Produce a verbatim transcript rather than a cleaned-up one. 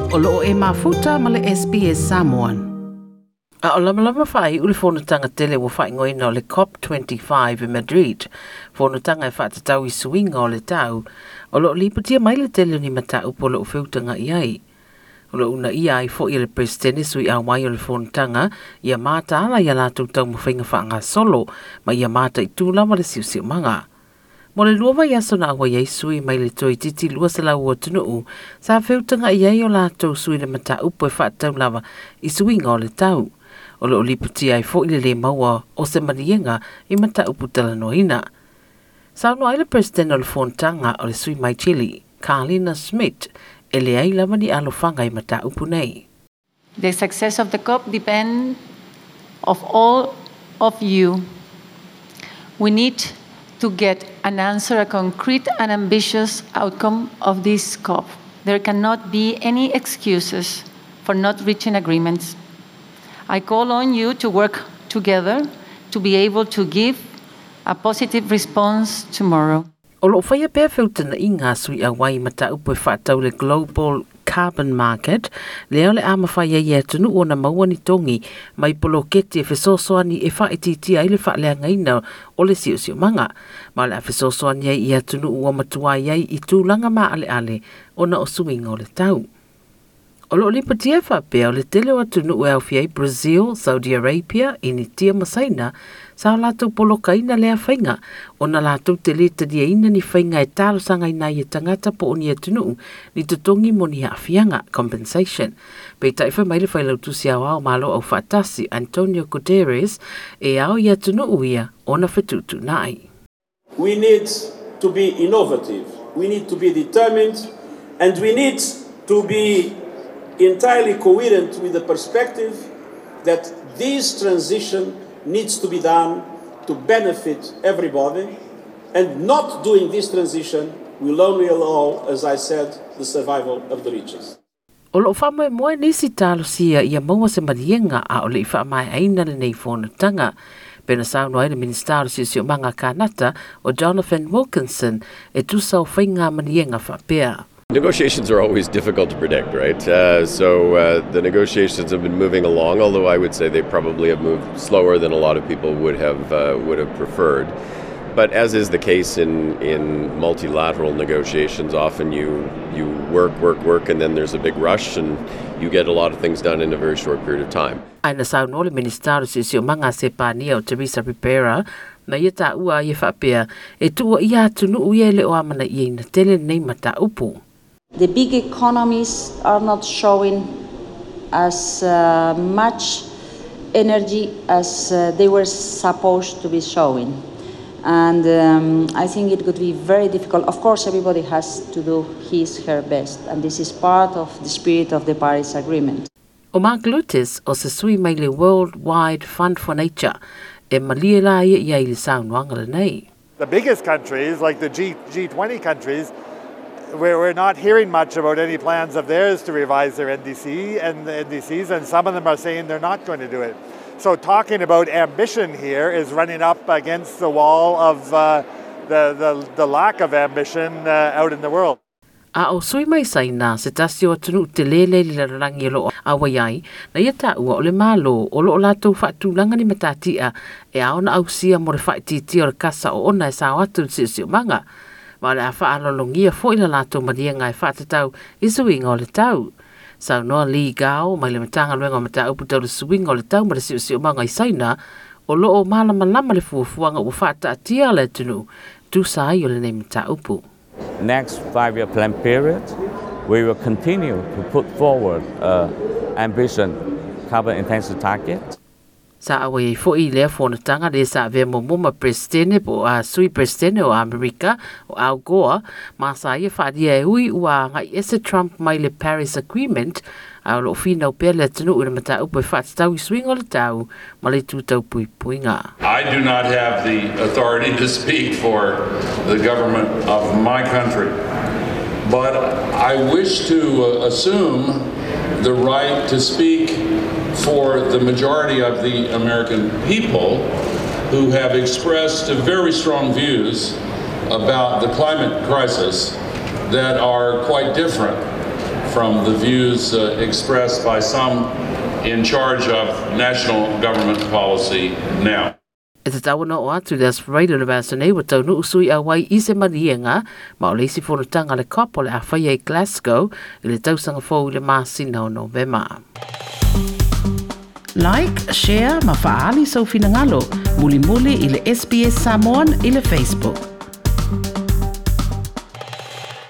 O loo e mafuta ma le S B S Samoan. A o lamalama faaiu le fonotaga tele ua faaigoaina o le COP twenty-five i Madrid, fonotaga e faatatau i suiga o le tau, o loo lipotia mai le tele o ni mataupu o loo feutaga'i ai. O loo uunaia ai fo'i e le Peresetene sui auai o le fonotaga ia mataala ia latou taumafaiga faagasolo ma ia mataitū lava le siosiomaga. Mo le lua vaiaso na auai ai sui mai le toeitiiti lua selau o atunuu sa feutaga'i ai o latou sui le mataupu e faatatau lava i suiga o le tau. O loo lipotia ai fo'i le lē maua o se maliega i mataupu talanoaina. Saunoa ai le Peresetene o le fonotaga o le sui mai Chile, Carolina Schmidt, e leai lava ni alofaga i mataupu nei. The success of the COP depends of all of you. We need to get an answer, a concrete and ambitious outcome of this COP. There cannot be any excuses for not reaching agreements. I call on you to work together to be able to give a positive response tomorrow. O loo faia pea feutana'iga a sui auai mataupu e faatatau le Global Carbon Market, lea o le a mafai ai e atunuu ona maua ni togi mai poloketi e fesoasoani e faaitiitia ai le faaleagaina o le siosiomaga, ma o le a fesoasoani ai i atunuu ua matuai ai i tulaga maaleale ona o suiga o le tau. O loo lipotia faapea o le tele o atunuu e aofia ai Brazil, Saudi Arabia, Initia ma Saina sa o latou polokaina lea faiga ona latou te lē taliaina ni faiga e talosagaina ai e tagata po o ni atunuu ni totogi mo ni aafiaga compensation. Peitai fai mai le failautusi aoao Malo au Faatasi Antonio Guterres e ao i atunuu ia ona fetuutuunai. We need to be innovative, we need to be determined, and we need to be entirely coherent with the perspective that this transition needs to be done to benefit everybody, and not doing this transition will only allow, as I said, the survival of the richest. O loo faamoemoe nisi talosia ia maua se maliega a o le i faamaeaina lenei fonotaga. Pena saunoa ai le Minista o le Siosiomaga Kanata o Jonathan Wilkinson e tusa o faiga maliega faapea. Negotiations are always difficult to predict, right? Uh, so uh, the negotiations have been moving along, although I would say they probably have moved slower than a lot of people would have uh, would have preferred. But as is the case in, in multilateral negotiations, often you you work, work, work, and then there's a big rush, and you get a lot of things done in a very short period of time. Ae na saunoa le Minista o le Siosiomaga Sepania o Teresa Ribera na ia taua ia faapea e tuua ia atunuu ia e le o amana'iaina tele lenei mataupu. The big economies are not showing as uh, much energy as uh, they were supposed to be showing. And um, I think it could be very difficult. Of course, everybody has to do his, her best, and this is part of the spirit of the Paris Agreement. O Mark Lutis o se sui mai le World Wide Fund for Nature e malie la ia ia i le saunoaga lenei. The biggest countries, like the G, G20 countries, we're, we're not hearing much about any plans of theirs to revise their N D C and the N D Cs, and some of them are saying they're not going to do it. So talking about ambition here is running up against the wall of uh, the, the, the lack of ambition uh, out in the world. A o sui mai Saina se tasi o atunuu telē le le lalolagi o loo auai ai, na ia taua o le Malo o loo latou faatulaga ni matati'a e ao na ausia mo le faaitiitia o le kasa o ona e sao atu le siosiomaga. Ma o le a faalologia fo'i la latou maliega e faatatau i suiga o le tau. Saunoa Li Gao mai le Matagaluega o Mataupu tau le Suiga o le Tau ma le Siosiomaga i Saina o loo malamalama le fuafuaga ua faataatia le atunuu tusa ai o lenei mataupu. Next five-year plan period, we will continue to put forward uh, ambition carbon intensity target. Sa auai ai fo'i lea fonotaga le sa avea muamua ma Peresetene po o a sui Peresetene o Amerika o Al Gore, ma sa ia faalia e ui ua aga'i ese Trump mai le Paris Agreement, a o loo finau pea le atunuu i le mataupu e faatatau i suiga o le tau ma le itu tau puipuiga. I do not have the authority to speak for the government of my country, but I wish to uh, assume the right to speak for the majority of the American people who have expressed very strong views about the climate crisis that are quite different from from the views uh, expressed by some in charge of national government policy now. E tatau ona oo atu i le Aso Faraile o le vaiaso nei ua taunuu sui auai i se maliega ma o le isi fonotaga a le COP o le a faia i Glasgow i le tausaga fou i le masina o Novema. Like, share ma faaali sou finagalo mulimuli i le S B S Samoan i le Facebook.